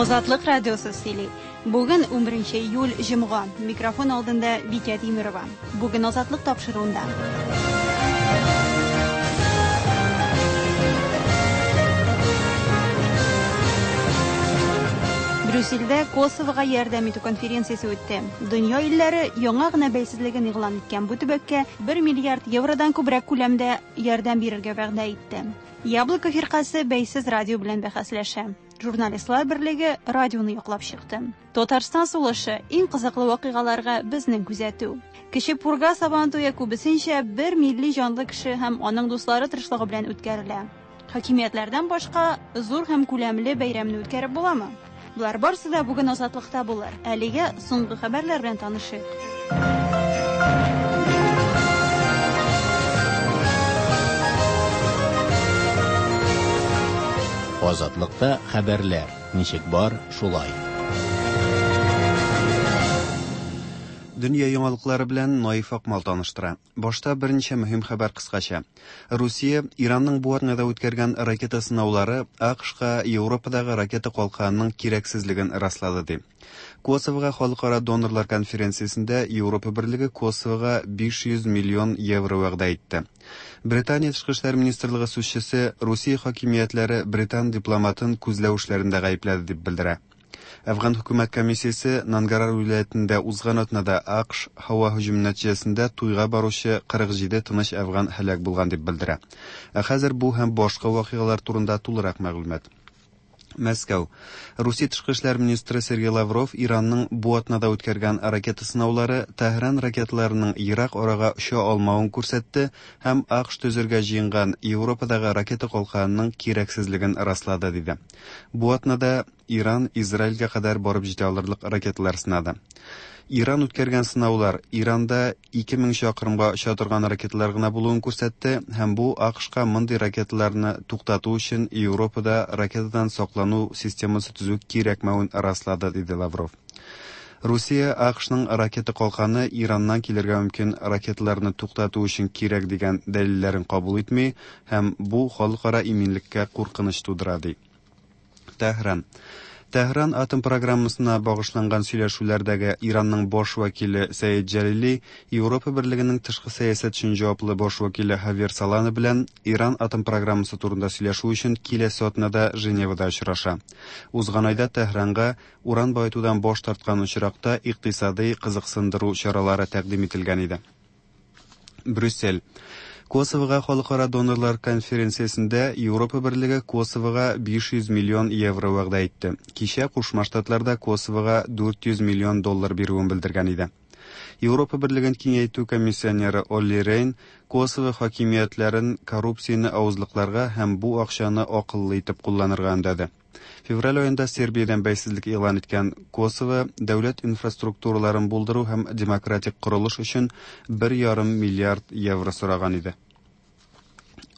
Азатлык радиосы сөйли. Бүген 11 июль җомга. Микрофон алдында Бикә Тимерова. Бүген Азатлык тапшыруында. Брюссельдә Косовога ярдәм итү конференциясе үтте. Дөнья илләре яңа гына бәйсезлеген игълан иткән бу төбәккә 1 миллиард евродан күбрәк күләмдә ярдәм бирергә вәгъдә итте. Яблоко фиркасе бәйсез радио белән бәхәсләшә. Журналистлар берлеге радионы яклап чыкты. Татарстан сулышы иң кызыклы вакыйгаларга безнең күзәтү. Кече Пурга Сабан туе күбесенчә бер милли җанлы кеше һәм аның дуслары тырышлыгы белән үткәрелә. Хакимиятләрдән башка зур һәм күләмле бәйрәмне үткәреп буламы? Болар барысы да бүген Азатлыкта булыр. Әлегә соңгы хәбәрләр белән танышыйк. Азатлыкта хәбәрләр ничек бар, шулай. Дөнья яңалыклары белән Наиф Акмал таныштыра. Башта берничә мөһим хәбәр кыскача. Русия Иранның бу атнада үткәргән ракета сынаулары АКШка Европадагы ракета калканының кирәксезлеген раслады ди. Косовога халыкара донорлар конференциясендә Европа берлеге Косовога 500 миллион евро вәгъдә итте. Британия тышкы эшләр министрлыгы сүзчесе Русия хакимиятләре британ дипломатын күзләү эшләрендә гаепләде дип белдерә. Әфган хөкүмәт комиссиясе Нангарар вилаятендә узган атнада АКШ һава һөҗүме нәтиҗәсендә туйга баручы 47 тыныч әфган һәлак булган дип белдерә. Ә хәзер бу һәм башка вакыйгалар турында тулырак мәгълүмат. Мәскәү. Русия тышкы эшләр министры Сергей Лавров Иранның бу атнада үткәргән ракета сынаулары Тәһран ракеталарының ерак арага оча алмавын күрсәтте һәм АКШ төзергә җыенган Европадагы ракета калканының кирәксезлеген раслады, диде. Бу атнада Иран Израильгә кадәр барып җитә алырлык ракеталар сынады. Иран үткәргән сынаулар Иранда 2000 чакрымга оча торган ракеталар гына булуын күрсәтте һәм бу АКШка мондый ракеталарны туктату өчен Европада ракетадан саклану системасы төзү кирәкмәвен раслады, диде Лавров. Русия АКШның ракета калканы Ираннан килергә мөмкин ракеталарны туктату өчен кирәк дигән дәлилләрен кабул итми һәм бу халыкара иминлеккә куркыныч тудыра ди. Тәһран. Тәһран атом программасына багышланган сөйләшүләрдәге Иранның баш вәкиле Сәид Җәлили Европа берлегенең тышкы сәясәт өчен җаваплы баш вәкиле Хавьер Солана белән Иран атом программасы турында сөйләшү өчен киләсе атнада Женевада очраша. Узган айда Тәһранга уран баетудан баш тарткан очракта икътисадый кызыксындыру чаралары тәкъдим ителгән иде. Брюссель. Косовога халыкара донорлар конференциясендә Европа берлеге Косовога 500 миллион евро вәгъдә итте. Кичә Кушма Штатларда Косовога 400 миллион доллар бирүен белдергән иде. Европа берлеген киңәйтү комиссионеры Олли Рейн Косово хакимиятләрен коррупцияне авызлыкларга һәм бу акчаны акыллы итеп кулланырга өндәде. Февраль аенда Сербиядән бәйсезлек игълан иткән Косово дәүләт инфраструктураларын булдыру һәм демократик корылыш өчен 1,5 миллиард евро сораган иде.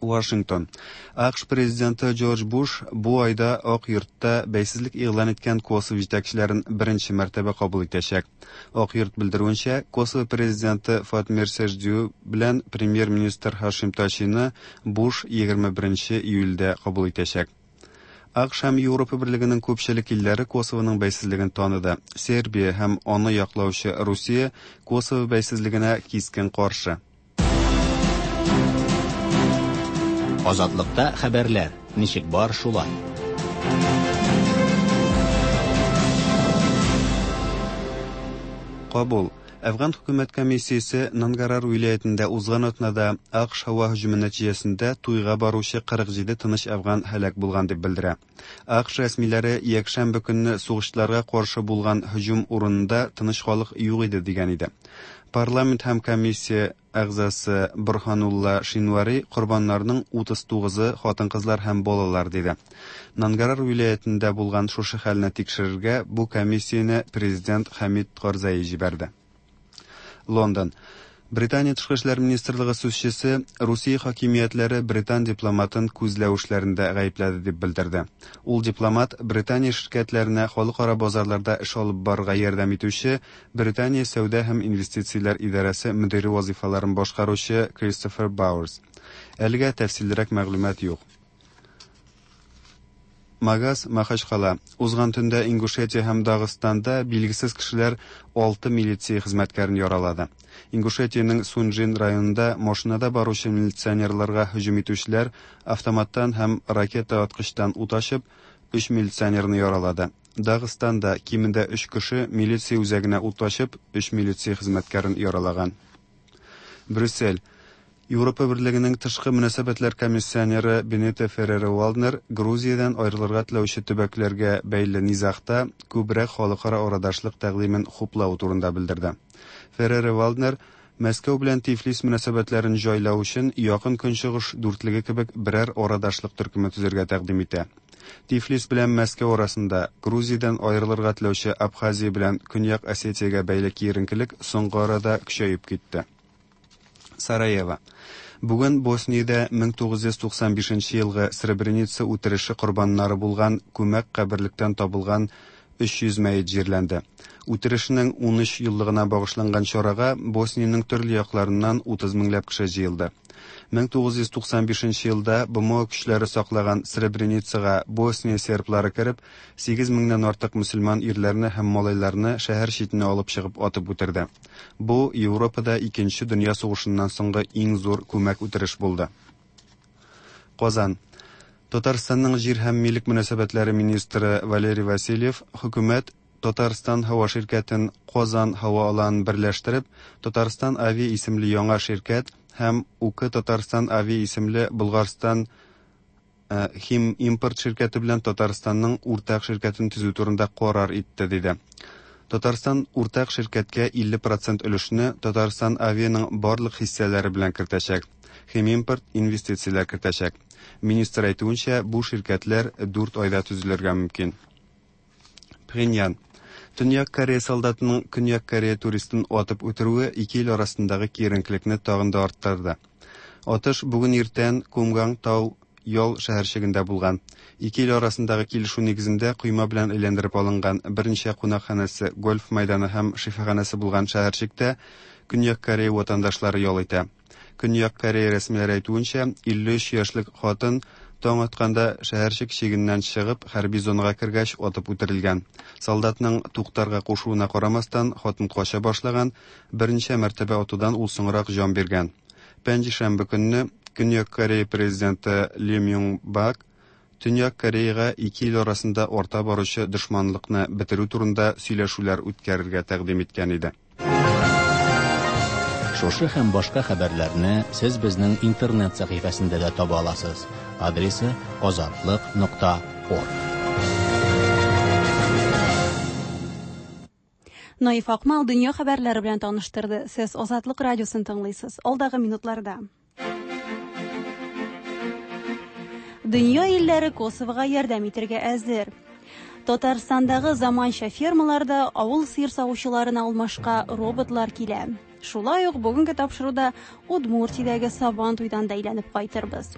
Вашингтон. АКШ президенты Джордж Буш бу айда Ак йортта бәйсезлек игълан иткән Косово җитәкчеләрен беренче мәртәбә кабул итәчәк. Ак йорт белдерүенчә, Косово президенты Фатмир Сеждю белән премьер-министр Хашим Тачины Буш 21 июльдә кабул итәчәк. АКШ һәм Европа берлегенең күпчелек илләре Косовоның бәйсезлеген таныды. Сербия һәм аны яклаучы Русия Косово бәйсезлегенә кискен каршы. Азатлыкта хәбәрләр ничек бар, шулай. Кабул. Әфган хөкүмәт комиссиясе Нангарар вилаятендә узган атнада АКШ һава һөҗүме нәтиҗәсендә туйга баручы 47 тыныч әфган һәлак булган дип белдерә. АКШ рәсмиләре якшәмбе көнне сугышчыларга каршы булган һөҗүм урынында тыныч халык юк иде дигән иде. Парламент һәм комиссия әгъзасы Борһанулла Шинвари корбаннарның 39-ы хатын-кызлар һәм балалар диде. Нангарар вилаятендә булган шушы хәлне тикшерергә бу комиссияне президент Хәмид Карзаи җибәрде. Лондон. Британия тышкы эшләр министрлыгы сүзчесе Русия хакимиятләре британ дипломатын күзләү эшләрендә гаепләде дип белдерде. Ул дипломат Британия ширкәтләренә халыкара базарларда эш алып барырга ярдәм итүче Британия сәүдә һәм инвестицияләр идарәсе мөдире вазифаларын башкаручы Кристофер Бауэрс. Әлегә тәфсиллерәк мәгълүмат юк. Магас, Махачкала. Узган төндә Ингушетия һәм Дагыстанда билгесез кешеләр 6 милиция хезмәткәрен яралады. Ингушетиянең Сунжин районында машинада баручы милиционерларга һөҗүм итүчеләр автоматтан һәм ракета аткычтан ут ачып, 3 милиционерны яралады. Дагыстанда кимендә 3 кеше милиция үзәгенә ут ачып, 3 милиция хезмәткәрен яралаган. Брюссель. Европа Берлегенең тышкы мөнәсәбәтләр комиссионеры Бенито Ферреро-Валднер Грузиядән аерылырга теләүче төбәкләргә бәйле низагта күбрәк халыкара арадашлык тәкъдимен хуплау турында белдерде. Ферреро-Валднер Мәскәү белән Тифлис мөнәсәбәтләрен җайлау өчен Якын Көнчыгыш дүртлеге кебек берәр арадашлык төркеме төзергә тәкъдим итә. Тифлис белән Мәскәү арасында Грузиядән аерылырга теләүче Абхазия белән Көньяк Осетиягә бәйле киеренкелек соңгы арада көчәеп китте. Сараево. Бүген Босниядә 1995 елгы Сребреница үтереше корбаннары булган күмәк каберлектән табылган 300 мәет җирләнде. Үтерешнең 13 еллыгына багышланган чарага Босниянең төрле якларыннан 30 меңләп кеше җыелды. 1995 елда БМО көчләре саклаган Сребреницага Босния серблары кереп, 8 меңнән артык мөселман ирләрне һәм малайларны шәһәр читенә алып чыгып атып үтерде. Бу Европада Икенче дөнья сугышыннан соңгы иң зур күмәк үтереш булды. Казан. Татарстанның җир һәм милек мөнәсәбәтләре министры Валерий Васильев хөкүмәт Татарстан һава ширкәтен Казан һава аланын берләштереп, Татарстан Авиа исемле яңа ширкәт һәм УК Татарстан Авиа исемле Болгарстан Хим импорт ширкәте белән Татарстанның уртак ширкәтен төзү турында карар итте, диде. Татарстан уртак ширкәткә 50% өлешне Татарстан Авианың барлык хиссәләре белән кертәчәк. Химимпорт инвестицияләр кертәчәк. Министр әйтүенчә, бу ширкәтләр 4 айда төзелергә мөмкин. Пхеньян. Төньяк Корея солдатының Көньяк Корея туристын атып үтерүе ике ил арасындагы киеренкелекне тагын да арттырды. Атыш бүген иртән Кумганг тау ял шәһәрчегендә булган. Ике ил арасындагы килешү нигезендә койма белән әйләндереп алынган берничә кунакханәсе, гольф мәйданы һәм шифаханәсе булган шәһәрчектә Көньяк Корея ватандашлары ял итә. Көньяк Корея рәсмиләре әйтүенчә, 53 яшьлек хатын таң атканда шәһәрчек чигеннән чыгып, хәрби зонага кергәч атып үтерелгән. Солдатның туктарга кушуына карамастан, хатын кача башлаган, берничә мәртәбә атудан ул соңрак җан биргән. Пәнҗешәмбе көнне Көньяк Корея президенты Ли Мюн Бак Төньяк Кореяга ике ил арасында арта баручы дошманлыкны бетерү турында сөйләшүләр үткәрергә тәкъдим иткән иде. Шушы һәм башка хәбәрләрне сез безнең интернет сәхифәсендә дә таба аласыз. Адресы azatliq.org. Наиф Акмал дөнья хәбәрләре белән таныштырды. Сез Азатлык радиосын тыңлыйсыз. Алдагы минутларда. Дөнья илләре Косовога ярдәм итәргә әзер. Татарстандагы заманча фермаларда авыл сыер савучыларына алмашка роботлар килә. Шулай ук бүгенге тапшыруда Удмуртиядәге Сабан туйдан да әйләнеп кайтырбыз.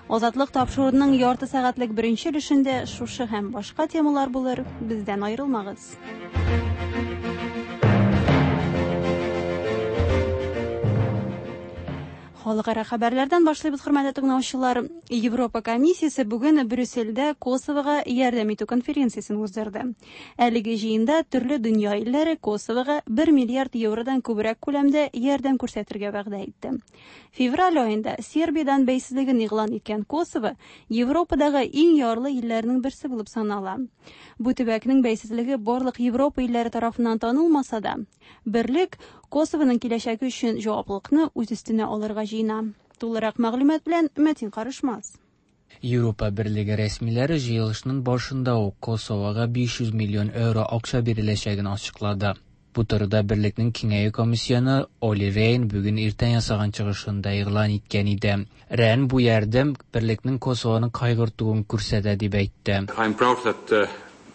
Азатлык тапшыруының ярты сәгатьлек беренче өлешендә шушы һәм башка темалар булыр. Бездән аерылмагыз. Халыкара хәбәрләрдән башлыйбыз, хөрмәтле тыңлаучылар. Европа комиссиясе бүген Брюссельдә Косовога ярдәм итү конференциясен уздырды. Әлеге җыенда төрле дөнья илләре Косовога 1 миллиард евродан күбрәк күләмдә ярдәм күрсәтергә вәгъдә итте. Февраль аенда Сербиядән бәйсезлеген игълан иткән Косово Европадагы иң ярлы илләрнең берсе булып санала. Бу төбәкнең бәйсезлеге барлык Европа илләре тарафыннан танылмаса да, берлек Косовоның киләчәге өчен җаваплылыкны үз өстенә алырга җыена. Тулырак мәгълүмат белән Мәтин Карышмас. Европа Берлеге рәсмиләре җыелышның башында ук Косовога 500 миллион евро акча биреләчәген ачыклады. Бу турыда Берлекнең киңәю комиссионы Оли Рейн бүген иртән ясаган чыгышында игълан иткән иде. Рейн бу ярдәм Берлекнең Косовоны кайгыртуын күрсәтә дип әйтте. I'm proud that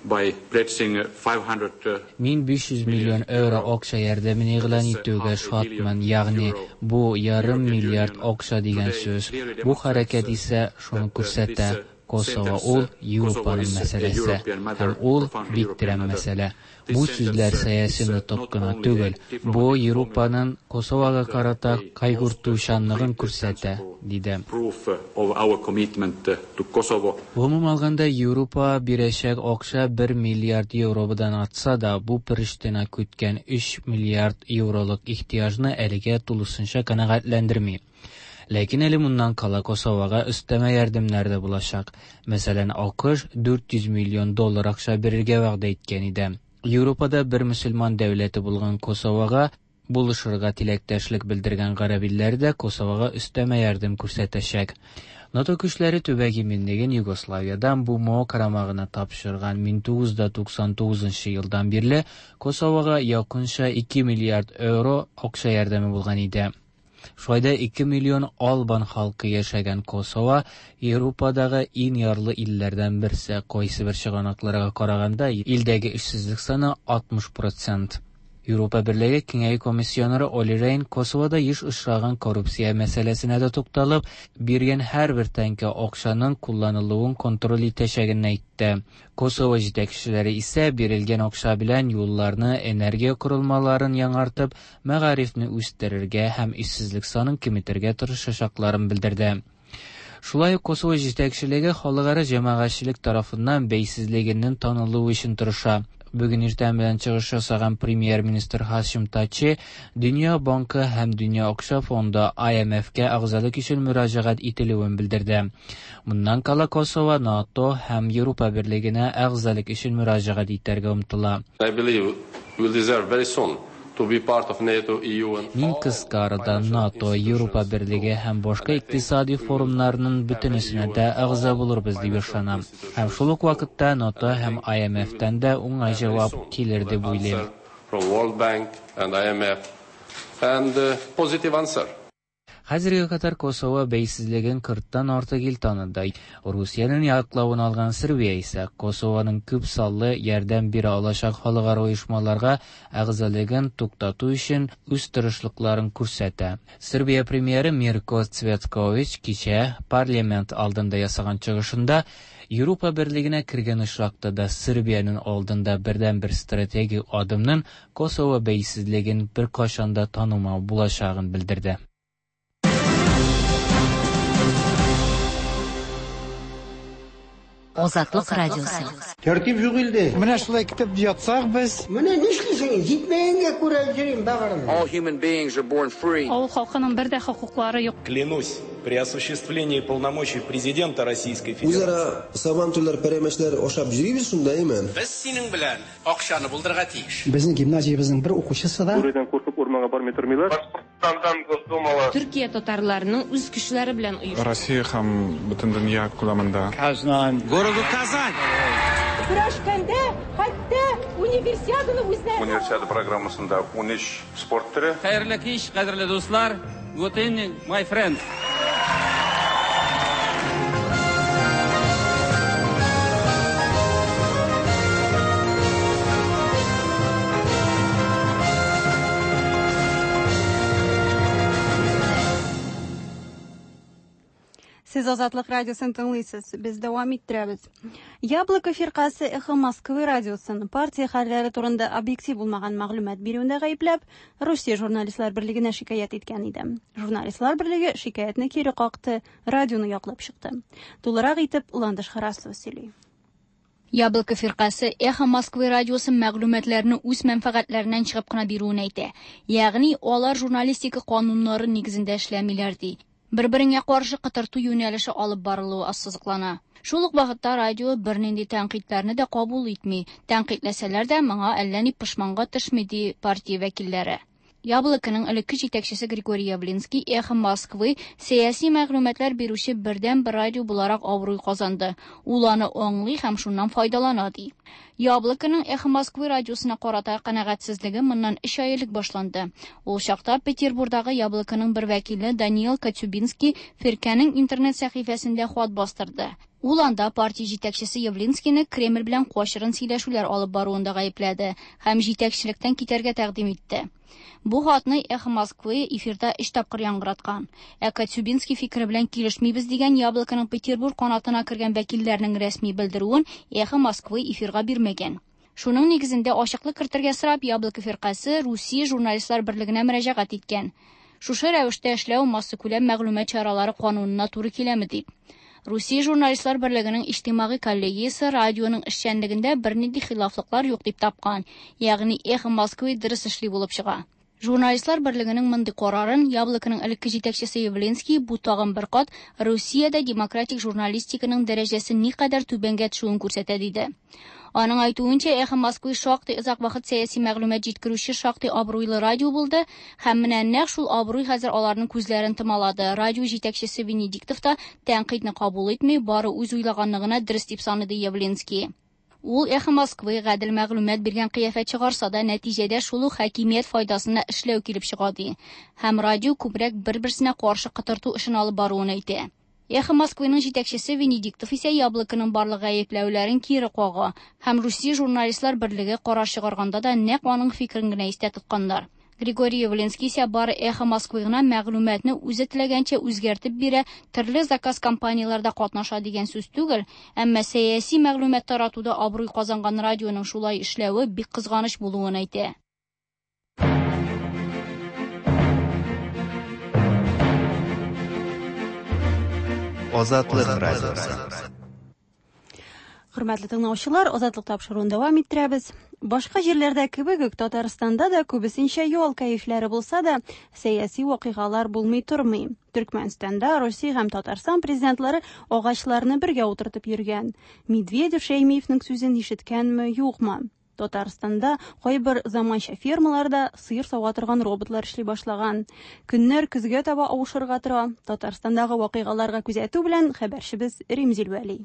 by pledging 500 Мин 500 миллион евро акча ярдәмен игълан итүгә шатмын, ягъни бу ярым миллиард акча дигән сүз. Бу хәрәкәт исә шуны күрсәтә. Косово ул Европаның мәсьәләсе һәм ул бик тирән мәсьәлә. Бу сүзләр сәяси нотык кына түгел, бу Европаның Косовога карата кайгыртучанлыгын күрсәтә, диде. Гомум алганда, Европа бирәчәк акча 1 миллиард евродан артса да, бу Приштина көткән 3 миллиард евролык ихтыяҗны әлегә тулысынча канәгатьләндерми. Ләкин әле моннан кала Косовога өстәмә ярдәмнәр дә булачак. Мәсәлән, АКШ 400 миллион доллар акча бирергә вәгъдә иткән иде. Европада бер мөселман дәүләте булган Косовога булышырга теләктәшлек белдергән гарәп илләре дә Косовога өстәмә ярдәм күрсәтәчәк. НАТО көчләре төбәк иминлеген Югославиядан БМО карамагына тапшырган 1999 елдан бирле Косовога якынча 2 миллиард евро акча ярдәме булган иде. Шулай да 2 миллион албан халкы яшәгән Косово Европадагы иң ярлы илләрдән берсе. Кайсы бер чыганакларга караганда, илдәге эшсезлек саны 60%. Европа Берлеге Киңәю комиссионеры Оли Рейн Косовода еш очраган коррупция мәсьәләсенә дә тукталып, биргән һәрбер тәңкә акчаның кулланылуын контроль итәчәген әйтте. Косово җитәкчеләре исә бирелгән акча белән юлларны, энергия корылмаларын яңартып, мәгарифне үстерергә һәм эшсезлек санын киметергә тырышачакларын белдерде. Шулай ук Косово җитәкчелеге халыкара җәмәгатьчелек тарафыннан бәйсезлегенең танылуы өчен тырыша. Бүген иртән белән чыгыш ясаган премьер-министр Хашим Тачи Дөнья банкы һәм Дөнья акча фонды IMF-кә әгъзалык өчен мөрәҗәгать ителүен белдерде. Моннан кала Косово НАТО һәм Европа Берлегенә әгъзалык өчен мөрәҗәгать итәргә омтыла. I believe we will deserve very soon to be part of NATO, EU and Мин кыска арада НАТО, Европа Берлеге һәм башка икътисади форумнарның бөтенесенә дә әгъза булырбыз дип ышанам. Һәм шул ук вакытта НАТО һәм IMF-тән дә уңай җавап килер дип уйлыйм. From World Bank and IMF and positive answer. Хәзергә кадәр Косово бәйсезлеген 40-тан артык ил таныды. Русиянең яклавын алган Сербия исә Косованың күп саллы ярдәм бирә алачак халыкара оешмаларга әгъзалыгын туктату өчен үз тырышлыкларын күрсәтә. Сербия премьеры Мирко Цветкович кичә парламент алдында ясаган чыгышында Европа Берлегенә кергән очракта да Сербиянең алдында бердәнбер стратегик адымның Косово бәйсезлеген беркайчан да танымау булачагын белдерде. Азатлык радиосы. Тәртип юк илдә. Менә шулай көтеп ятсак без. Менә нишлисең? Җитмәгәнгә күрә йөрим бәгырем. All human beings are born free. Авыл халкының бер дә хокуклары юк. Клянусь, при осуществлении полномочий президента Российской Федерации. Үзара сабантуйлар, пәрәмәчләр ашап йөрибез шунда, әйме? Без синең белән акчаны булдырырга тиеш. Безнең гимназиябезнең бер укучысы да Бүредән куркып урманга бармый тормыйлар. Башкортстандан Госдумала. Төркия татарларының үз көчләре белән оештырган. Россия һәм бөтен дөнья күләмендә. Казан. Городу Казань. Көрәшкәндә хәтта универсиаданы үзләре. Универсиада программасында 13 спорт төре. Хәерле кич, кадерле дуслар. Good evening, my friends. Сез Азатлык радиосын тыңлыйсыз. Без дәвам иттерәбез. Яблоко фиркасе Эхо Москвы радиосын партия хәлләре турында объектив булмаган мәгълүмат бирүендә гаепләп, Русия журналистлар берлегенә шикаять иткән иде. Журналистлар берлеге шикаятьне кире какты, радионы яклап чыкты. Тулырак итеп Ландыш Харасова сөйли. Яблоко фиркасе Эхо Москвы радиосы мәгълүматларны үз мәнфәгатьләреннән чыгып кына бирүен әйтә. Ягъни алар журналистика кануннары нигезендә эшләмиләр ди. Бер-береңә каршы кытырту юнәлеше алып барылуы ассызыклана. Шул ук вакытта радио бернинди тәнкыйтьләрне дә кабул итми. Тәнкыйтьләсәләр дә моңа әллә ни пошманга төшми ди партия вәкилләре. Яблоконың элекке җитәкчесе Григорий Явлинский Эхо Москвы сәяси мәгълүматлар бирүче бердәнбер радио буларак абруй казанды. Ул аны аңлый һәм шуннан файдалана ди. Яблоконың Эхо Москвы радиосына карата канәгатьсезлеге моннан 3 ай элек башланды. Ул чакта Петербургдагы Яблоконың бер вәкиле Даниил Катюбинский фиркәнең интернет сәхифәсендә хат бастырды. Ул анда партия җитәкчесе Явлинскийны Кремль белән качырын сөйләшүләр алып баруында гаепләде һәм җитәкчелектән китәргә тәкъдим итте. Бу хатны Эхо Москвы эфирда өч тапкыр яңгыраткан. Ә Коцюбинский фикере белән килешмибез дигән Яблоконың Петербург канатына кергән вәкилләрнең рәсми белдерүен Эхо Москвы эфирга бирмәгән. Шуның нигезендә ачыклык кертергә сорап Яблоко фиркасе Русия журналистлар берлегенә мөрәҗәгать иткән. Шушы рәвештә эшләү массакүләм мәгълүмат чаралары канунына туры киләме дип. Русия журналистлар берлегенең иҗтимагый коллегиясе радионың эшчәнлегендә бернинди хилафлыклар юк дип тапкан, ягъни Эхо Москвы дөрес эшли булып чыга. Журналистлар берлегенең мондый карарын Яблоконың элекке җитәкчесе Явлинский бу тагын бер кат Русиядә демократик журналистиканың дәрәҗәсе никадәр түбәнгә төшүен күрсәтә диде. Аның әйтүенчә, Эхо Москвы шактый озак вакыт сәяси мәгълүмат җиткерүче шактый абруйлы радио булды һәм менә нәкъ шул абруй хәзер аларның күзләрен томалады. Радио җитәкчесе Венедиктов та тәнкыйтьне кабул итми, бары үз уйлаганны гына дөрес дип санады Явлинский. Ул Эхо Москвы гадел мәгълүмат биргән кыяфәт чыгарса да, нәтиҗәдә шул ук хакимият файдасына эшләү килеп чыга ди. Һәм радио күбрәк бер-берсенә каршы котырту эшен алып баруын әйтә. Эхо Москвының җитәкчесе Венедиктов исә Яблоконың барлык гаепләүләрен кире кага һәм Русия журналистлар берлеге карар чыгарганда да нәкъ аның фикерен генә истә тотканнар. Григорий Явлинский исә бары Эхо Москвы гына мәгълүматны үзе теләгәнчә үзгәртеп бирә, төрле заказ компанияләрдә катнаша дигән сүз түгел, әмма сәяси мәгълүмат таратуда абруй казанган радионың шулай эшләве бик кызганыч булуын әйтә. Азатлык радиосы. Хөрмәтле тыңлаучылар, Азатлык тапшыруын дәвам иттерәбез. Башка җирләрдә кебек үк Татарстанда да күбесенчә ял кәефләре булса да, сәяси вакыйгалар булмый тормый. Төркмәнстанда Русия һәм Татарстан президентлары агачларны бергә утыртып йөргән. Медведев Шәймиевнең сүзен ишеткәнме, юкмы? Татарстанда кайбер заманча фермаларда сыер сава торган роботлар эшли башлаган. Көннәр көзгә таба авышырга тора. Татарстандагы вакыйгаларга күзәтү белән хәбәрчебез Римзил Вәли.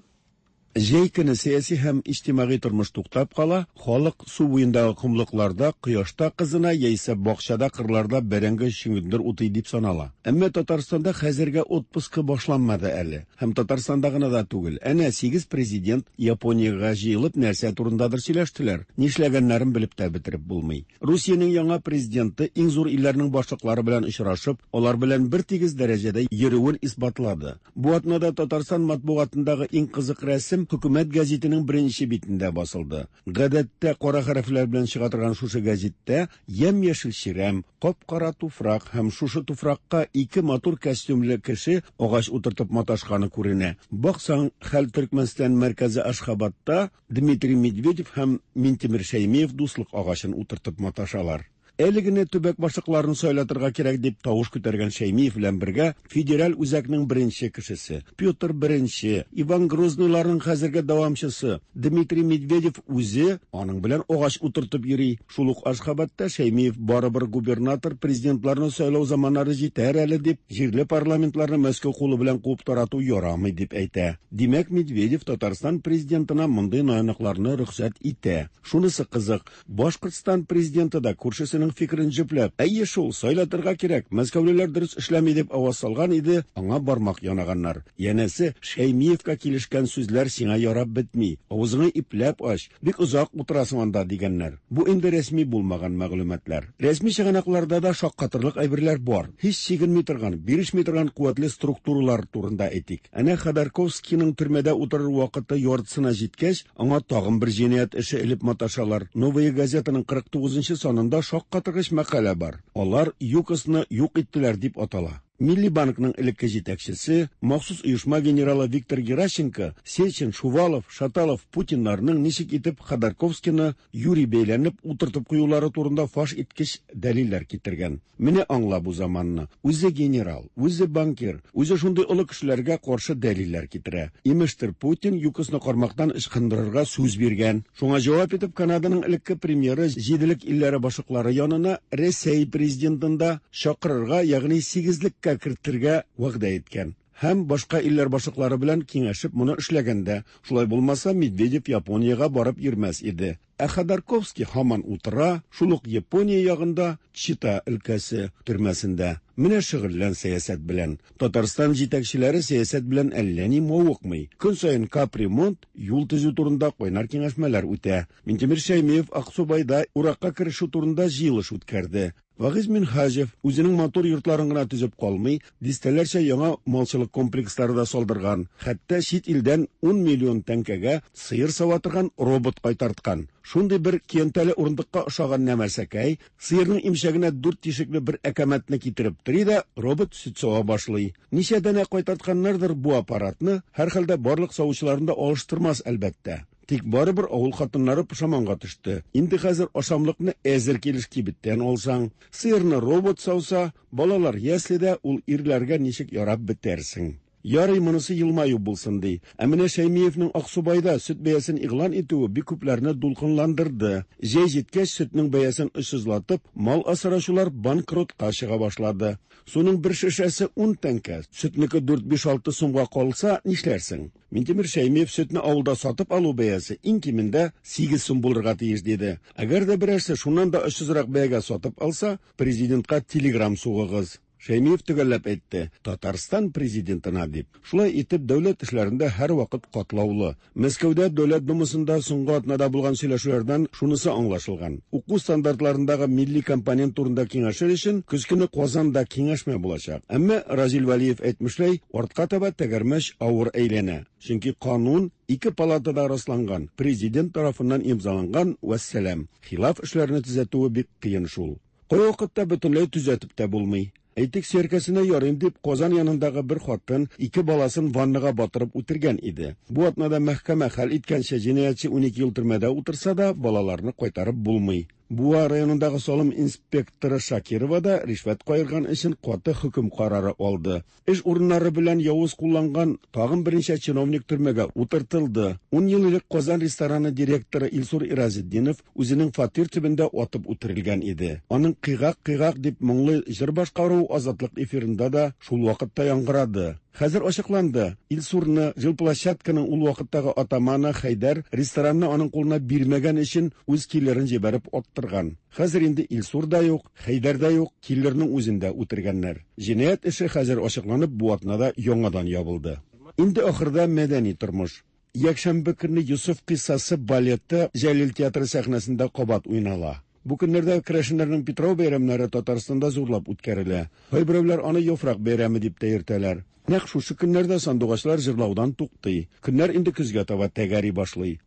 Җәй көне сәяси һәм иҗтимагый тормыш туктап кала, халык су буендагы комлыкларда, кояшта кызына яисә бакчада, кырларда бәрәңге чөгендер утый дип санала. Әмма Татарстанда хәзергә отпускы башланмады әле. Һәм Татарстанда гына да түгел. Әнә 8 президент Япониягә җыелып нәрсә турындадыр сөйләштеләр. Нишләгәннәрен белеп тә бетереп булмый. Русиянең яңа президенты иң зур илләрнең башлыклары белән очрашып, алар белән бер тигез дәрәҗәдә йөрүен исбатлады. Бу атнада Татарстан матбугатындагы иң кызык рәсем Хөкүмәт гәзитенең беренче битендә басылды. Гадәттә кара хәрефләр белән чыга торган шушы гәзиттә ямь-яшел чирәм, кап-кара туфрак һәм шушы туфракка ике матур костюмлы кеше агач утыртып маташканы күренә. Баксаң, хәл Төркмәнстан мәркәзе Ашхабадта Дмитрий Медведев һәм Минтимер Шәймиев дуслык агачын утыртып маташалар. Әле генә төбәк башлыкларын сайлатырга кирәк дип тавыш күтәргән Шәймиев белән бергә федераль үзәкнең беренче кешесе Петр I, Иван Грозныйларның хәзерге дәвамчысы Дмитрий Медведев үзе аның белән агач утыртып йөри. Шул ук Ашхабадта Шәймиев барыбер губернатор президентларны сайлау заманнары җитәр әле дип, җирле парламентларны Мәскәү кулы белән куып тарату ярамый дип әйтә. Димәк, Медведев Татарстан президентына мондый наянлыкларны рөхсәт итә. Шунысы кызык, Башкортстан президенты да күршесенең фикерен җөпләп, әйе шул, сайлатырга кирәк, мәскәүлеләр дөрес эшләми дип аваз салган иде, аңа бармак янаганнар. Янәсе, Шәймиевка килешкән сүзләр сиңа ярап бетми, авызыңны ипләп ач, бик озак утырасың анда дигәннәр. Бу инде рәсми булмаган мәгълүматлар. Рәсми чыганакларда да шаккатырлык әйберләр бар. Һич чигенми торган, бирешми торган куәтле структуралар турында әйтик. Әнә Ходорковскийның төрмәдә утырыр вакыты яртысына җиткәч, аңа тагын бер җинаять эше элеп маташалар. Новая газетаның 49 санында шаккатыргыч мәкалә бар. Алар ЮКОСны юк иттеләр дип атала. Милли банкның элекке җитәкчесе, махсус оешма генералы Виктор Геращенко, Сечин, Шувалов, Шаталов, Путиннарның ничек итеп Ходорковскийны юри бәйләнеп утыртып куюлары турында фаш иткеч дәлилләр китергән. Менә аңла бу заманны. Үзе генерал, үзе банкир, үзе шундый олы кешеләргә каршы дәлилләр китерә. Имештер, Путин ЮКОСны кармактан ычкындырырга сүз биргән. Шуңа җавап итеп Канаданың элекке премьеры җиделек илләре башлыклары янына Рәсәй президентын да чакырырга, ягъни сигезлеккә кертергә вәгъдә иткән. Һәм башка илләр башлыклары белән киңәшеп моны эшләгән дә. Шулай булмаса, Медведев Япониягә барып йөрмәс иде. Ә Ходорковский һаман утыра, шул ук Япония ягында, Чита өлкәсе төрмәсендә. Менә шөгыльлән сәясәт белән. Татарстан җитәкчеләре сәясәт белән әллә ни мавыкмый. Көн саен капремонт, юл төзү турында кайнар киңәшмәләр үтә. Минтимер Шәймиев Аксубайда уракка керешү турында җыелыш үткәрде. Вагиз Минһаҗев үзенең матур йортларын гына төзеп калмый, дистәләрчә яңа малчылык комплекслары да салдырган, хәтта чит илдән 10 миллион тәңкәгә сыер сава торган робот кайтарткан. Шундый бер көянтәле урындыкка ошаган нәмәрсәкәй, сыерның имчәгенә дүрт тишекле бер әкәмәтне китереп тери дә, робот сөт сава башлый. Ничә данә кайтартканнардыр бу аппаратны, һәрхәлдә барлык савучыларын да алыштырмас, әлбәттә. Тик барыбер авыл хатыннары пошаманга төште. Инде хәзер ашамлыкны әзер килеш кибеттән алсаң, сыерны робот сауса, балалар яследә ул ирләргә ничек ярап бетәрсең? Ярый, монысы елмаю булсын ди. Ә менә Шәймиевнең Аксубайда сөт бәясен игълан итүе бик күпләрне дулкынландырды. Җәй җиткәч, сөтнең бәясен очсызлатып, мал асраучылар банкротка чыга башлады. Суның бер шешәсе 10 тәңкә, сөтнеке 4-5-6 сумга калса, нишләрсең? Минтимер Шәймиев сөтне авылда сатып алу бәясе иң кимендә 8 сум булырга тиеш диде. Әгәр дә берәрсе шуннан да очсызрак бәягә сатып алса, президентка телеграм сугыгыз. Шәймиев төгәлләп әйтте, Татарстан президентына дип. Шулай итеп, дәүләт эшләрендә һәрвакыт катлаулы. Мәскәүдә Дәүләт Думасында соңгы атнада булган сөйләшүләрдән шунысы аңлашылган. Уку стандартларындагы милли компонент турында киңәшер өчен көз көне Казанда киңәшмә булачак. Әмма Разил Вәлиев әйтмешләй, артка таба тәгәрмәч авыр әйләнә. Чөнки канун ике палатада расланган, президент тарафыннан имзаланган, вәссәлам. Хилаф эшләрне төзәтүе бик кыен шул. Кайвакытта бөтенләй төзәтеп тә булмый. Әйтик, сөяркәсенә ярыйм дип, Казан янындагы бер хатын ике баласын ваннага батырып үтергән иде. Бу атнада мәхкәмә хәл иткәнчә, җинаятьче 12 ел төрмәдә утырса да, балаларны кайтарып булмый. Буа районындагы салым инспекторы Шакирова да ришвәт каерган өчен каты хөкем карары алды. Эш урыннары белән явыз кулланган тагын берничә чиновник төрмәгә утыртылды. Ун ел элек Казан рестораны директоры Илсур Иразетдинов үзенең фатир төбендә атып үтерелгән иде. Аның Кыйгак-кыйгак дип моңлы җыр башкаруы Азатлык эфирында да шул вакытта яңгырады. Хәзер ачыкланды, Илсурны жилплощадканың ул вакыттагы атаманы Хәйдәр ресторанны аның кулына бирмәгән өчен үз киллерын җибәреп аттырган. Хәзер инде Илсур да юк, Хәйдәр дә юк, киллерның үзен дә үтергәннәр. Җинаять эше хәзер ачыкланып, бу атнада яңадан ябылды. Инде ахырда мәдәни тормыш. Якшәмбе көнне Йосыф кыйссасы балеты Җәлил театры сәхнәсендә кабат уйнала. Бу көннәрдә керәшеннәрнең Питрау бәйрәмнәре Татарстанда зурлап үткәрелә. Кайберәүләр аны Яфрак бәйрәме дип тә йөртәләр. Нәкъ шушы көннәрдә сандугачлар җырлаудан туктый. Көннәр инде көзгә таба тәгәри башлый.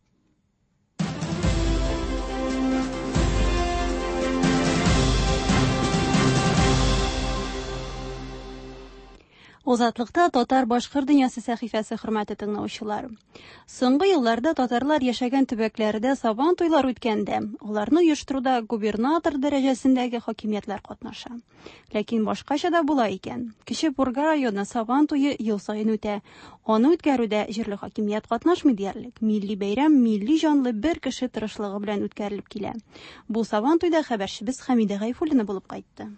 Озатлыкта татар башкыр дөньясы сәхифәсе хөрмәтле тыңлаучылар. Соңгы елларда татарлар яшәгән төбәкләрдә сабан туйлар үткәндә, аларны оештыруда губернатор дәрәҗәсендәге хакимиятләр катнаша. Ләкин башкача да була икән. Кече Пурга районы сабан туе ел саен үтә. Аны үткәрүдә җирле хакимият катнашмый диярлек. Милли бәйрәм милли җанлы бер кеше тырышлыгы белән үткәрелеп килә. Бу сабан туйда хәбәрчебез Хәмидә Гайфуллина булып кайтты.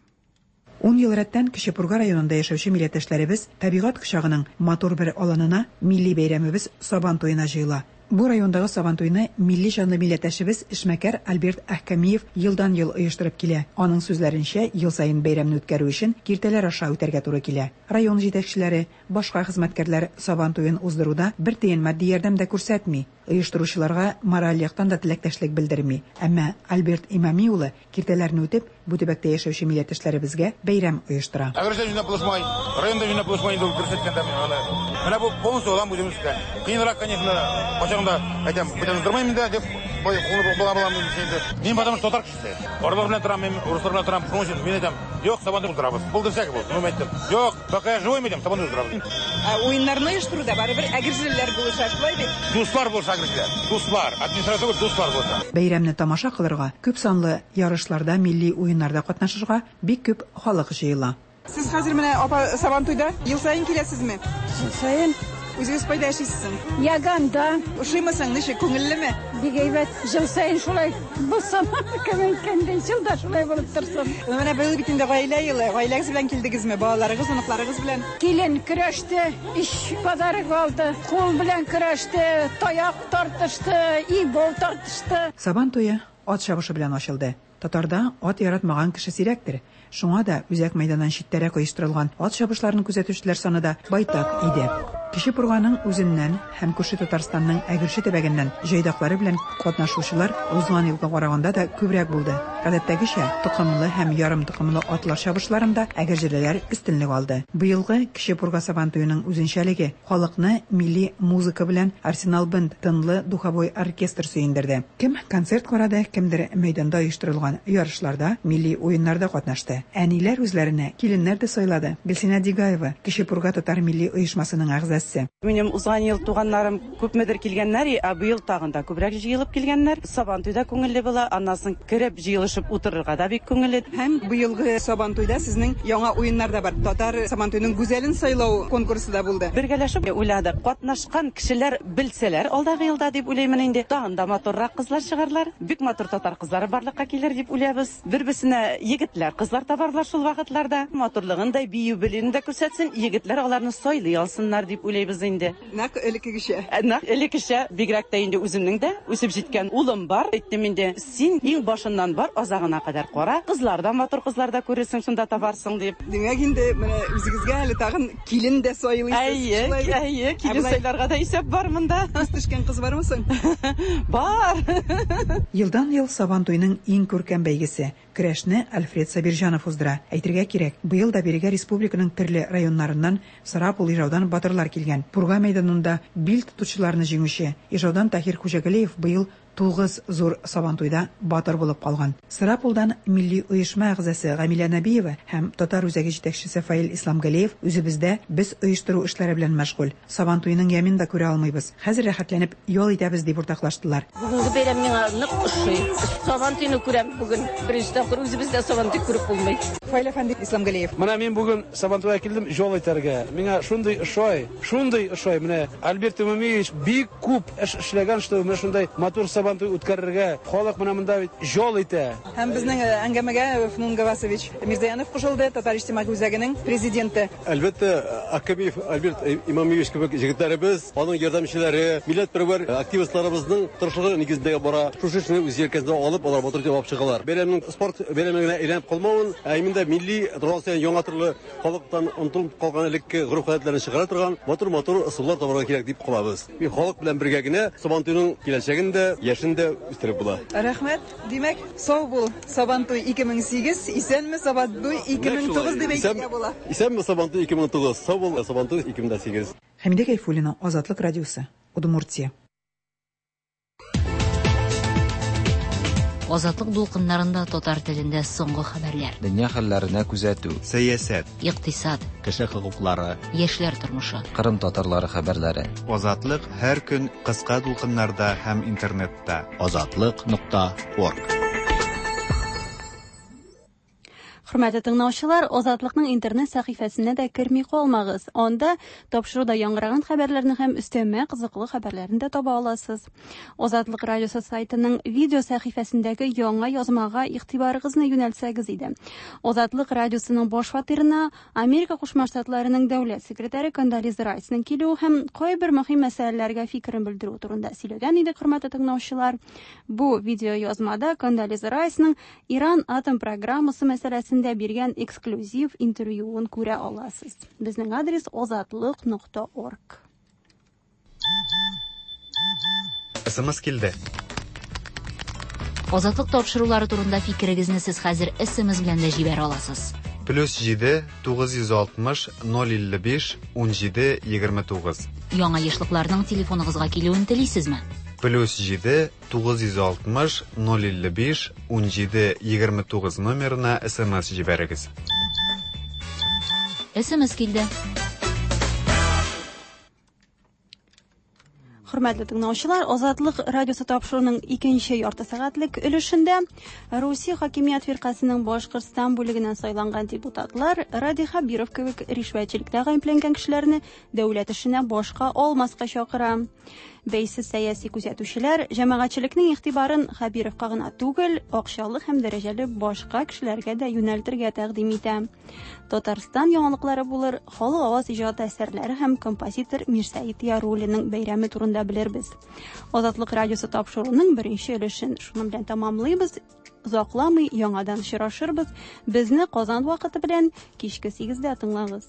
Ун ел рәттән Кече Пурга районында яшәүче милләттәшләребез табигать кочагының матур бер аланына милли бәйрәмебез Сабан туена җыела. Бу райондагы Сабантуйны милли җанлы милләттәшебез, эшмәкәр Альберт Әхкәмиев елдан-ел оештырып килә. Аның сүзләренчә, ел саен бәйрәмне үткәрү өчен киртәләр аша үтәргә туры килә. Район җитәкчеләре, башка хезмәткәрләр Сабан туен уздыруда бер тиен матди ярдәм дә күрсәтми. Оештыручыларга мораль яктан да теләктәшлек белдерми. Әмма Альберт Имами улы киртәләрне үтеп, бу төбәктә яшәүче милләттәшләребезгә бәйрәм оештыра. Әгерҗе җыйнап булышмай, районда җыйнап булышмай инде ул дөрес әйткәндә мин аны. Менә бу полностью алам үзем өскә. Кыенрак, конечно, кайчагында әйтәм, бүтән уздырмыйм инде дип, бой кулы була була инде. Мин потому что татар кешесе. Арлар белән торам, мин урыслар белән торам. Шуның өчен мин әйтәм, юк, сабантуй уздырабыз. Булды всякий булсын. Мин әйттем, юк, пока я живой, мин әйтәм, сабантуй уздырабыз. Ә уеннарны оештыруда барыбер әгерҗелеләр булыша, шулай бит? Дуслар булыша әгерҗеләр. Дуслар, администрация түгел, дуслар булыша. Бәйрәмне тамаша кылырга, күп санлы ярышларда, милли уеннарда катнашырга бик күп халык җыела. Сез хәзер менә, апа, Сабантуйда ел саен киләсезме? Ел саен. Үзегез кайда яшисез соң? Яганда. Ошыймы соң, ничек, күңеллеме? Бик әйбәт. Ел саен шулай булсын, кем әйткәндәй, ел да шулай булып торсын. Менә быел бит инде гаилә елы. Гаиләгез белән килдегезме? Балаларыгыз, оныкларыгыз белән? Килен көрәште, өч подарок алды. Кул белән көрәште, таяк тартышты, ибол тартышты. Сабан туе ат чабышы белән ачылды. Татарда ат яратмаган кеше сирәктер. Шуңа да үзәк мәйданнан читтәрәк оештырылган ат чабышларын күзәтүчеләр саны да байтак иде. Кече Пурганың үзеннән һәм күрше Татарстанның Әгерҗе төбәгеннән җайдаклары белән катнашучылар узган елга караганда да күбрәк булды. Гадәттәгечә, токымлы һәм ярымтокымлы атлар чабышларында әгерҗелеләр өстенлек алды. Быелгы Кече Пурга Сабантуеның үзенчәлеге, халыкны милли музыка белән Арсенал Бенд тынлы духовой оркестр сөендерде. Кем концерт карады, кемдер мәйданда оештырылган ярышларда, милли уеннарда катнашты. Әниләр үзләренә киленнәр дә сайлады. Гөлсинә Дигаева, Кече Пурга татар милли оешмасының әгъзасы. Минем узган ел туганнарым күпмедер килгәннәр, ә быел тагын да күбрәк җыелып килгәннәр. Сабантуй да күңелле була, аннан соң кереп җыелышып утырырга да бик күңелле. Һәм быелгы Сабантуйда сезнең яңа уеннар да бар. Татар Сабантуеның гүзәлен сайлау конкурсы да булды. Бергәләшеп уйладык. Катнашкан кешеләр белсәләр алдагы елда дип уйлыймын инде. Тагын да матуррак кызлар чыгарлар. Бик матур татар кызлары барлыкка килер дип уйлыйбыз. Бер-берсенә егетләр, кызлар табарлар шул вакытларда. Матурлыгын да, бию белүен дә күрсәтсен, егетләр аларны сайлый алсыннар дип уйлыйбыз инде. Нәкъ элеккегечә. Нәкъ элеккечә, бигрәк тә инде үземнең дә үсеп җиткән улым бар. Әйттем инде, син иң башыннан бар, азагына кадәр кара. Кызлар да матур кызлар да күрерсең, шунда табарсың дип. Димәк инде менә үзегезгә әле тагын килен дә сайлыйсыз. Әйе, әйе, килен сайларга да исәп бар монда. Күз төшкән кыз бармы соң? Бар. Елдан-ел Сабантуйның иң күркәм бәйгесе, көрәшне Альфред Сабирҗанов уздыра. Әйтергә кирәк, быел да бирегә республиканың төрле районнарыннан Сарапул, Ижаудан батырлар килгән. Пурга мәйданында бил тотучыларны җиңүче Ижаудан Таһир Хуҗагалиев быел тугыз зур Сабантуйда батыр булып калган. Сарапулдан милли оешма әгъзасы Гамилә Нәбиева һәм Татар үзәге җитәкчесе Фаил Исламгалиев үзебездә без оештыру эшләре белән мәшгуль. Сабантуйның ямен дә күрә алмыйбыз. Хәзер рәхәтләнеп ял итәбез, дип уртаклаштылар. Бүгенге бәйрәм миңа нык ошый. Сабантуйны күрәм бүген. Беренче тапкыр үзебездә Сабантуй күреп булмый. Фаил әфәнде Исламгалиев. Менә мин бүген Сабантуйга килдем ял итәргә. Миңа шундый ошый, шундый ошый. Менә Альберт Имамиевич бик күп эш эшләгән, что менә шундай матур Сабантуй үткәрергә. Халык менә монда бит ял итә. Һәм безнең әңгәмәгә Фнун Гавасович Мирзаянов кушылды, Татар иҗтимагый үзәгенең президенты. Әлбәттә, Аккабиев Альберт Имамиевич кебек җегетләребез, аның ярдәмчеләре, милләтпәрвәр активистларыбызның тырышлыгы нигезендә бара. Шушы эшне үз җилкәсенә алып, алар батыр итеп алып чыгалар. Бәйрәмнең спорт бәйрәме генә әйләнеп калмавын, ә именно милли торган саен яңа төрле халыктан онытылып калган элекке гореф-гадәтләрне чыгара торган матур-матур ысуллар табарга кирәк дип калабыз. Мин халык белән бергә генә Сабантуйның киләчәген дә, яшен дә үстереп була. Рәхмәт. Димәк, сау бул, Сабантуй 2008, исәнме, Сабантуй 2009 дип әйтергә була. Исәнме, Сабантуй 2009, сау бул, Сабантуй 2008. Хәмидә Гайфуллина, Азатлык радиосы, Удмуртия. Азатлык дулкыннарында татар телендә соңгы хәбәрләр. Дөнья хәлләренә күзәтү. Сәясәт. Икътисад. Кеше хокуклары. Яшьләр тормышы. Кырым татарлары хәбәрләре. Азатлык һәр көн кыска дулкыннарда һәм интернетта. Азатлык нокта орг. Хөрмәтле тыңлаучылар, Азатлыкның интернет сәхифәсенә дә керми калмагыз. Анда тапшыруда яңгыраган хәбәрләрне һәм өстәмә кызыклы хәбәрләрне дә таба аласыз. Азатлык радиосы сайтының видео сәхифәсендәге яңа язмага игътибарыгызны юнәлтсәгез иде. Азатлык радиосының баш фатирына Америка Кушма Штатларының дәүләт секретаре Кондолиза Райсның килүе һәм кайбер мөһим мәсьәләләргә фикерен белдерү турында сөйләгән иде, хөрмәтле тыңлаучылар. Бу видео язмада Кондолиза Райсның Иран атом программасы мәсьәләсендә биргән эксклюзив интервьюын күрә аласыз. Безнең адрес озатлык.орг. СМС килде. Азатлык тапшырулары турында фикерегезне сез хәзер СМС белән дә җибәрә аласыз. Плюс 7 960 055 17 29. Яңа ешлыкларның телефоныгызга килүен телисезме? Плюс 7 960 055 17 29 номерына СМС җибәрегез. СМС килде. Хөрмәтле тыңлаучылар, Азатлык радиосы тапшыруының икенче ярты сәгатьлек өлешендә Русия хакимият фиркасының Башкортстан бүлегеннән сайланган депутатлар Радий Хәбиров кебек ришвәтчелектә гаепләнгән кешеләрне дәүләт эшенә башка алмаска чакыра. Бәйсез сәяси күзәтүчеләр җәмәгатьчелекнең игътибарын Хәбировка гына түгел, акчалы һәм дәрәҗәле башка кешеләргә дә юнәлтергә тәкъдим итә. Татарстан яңалыклары булыр, халык аваз иҗаты әсәрләре һәм композитор Мирсәет Яруллинның бәйрәме турында белербез. Азатлык радиосы тапшыруының беренче өлешен шуның белән тәмамлыйбыз. Озакламый яңадан очрашырбыз. Безне Казан вакыты белән кичке 8-дә тыңлагыз.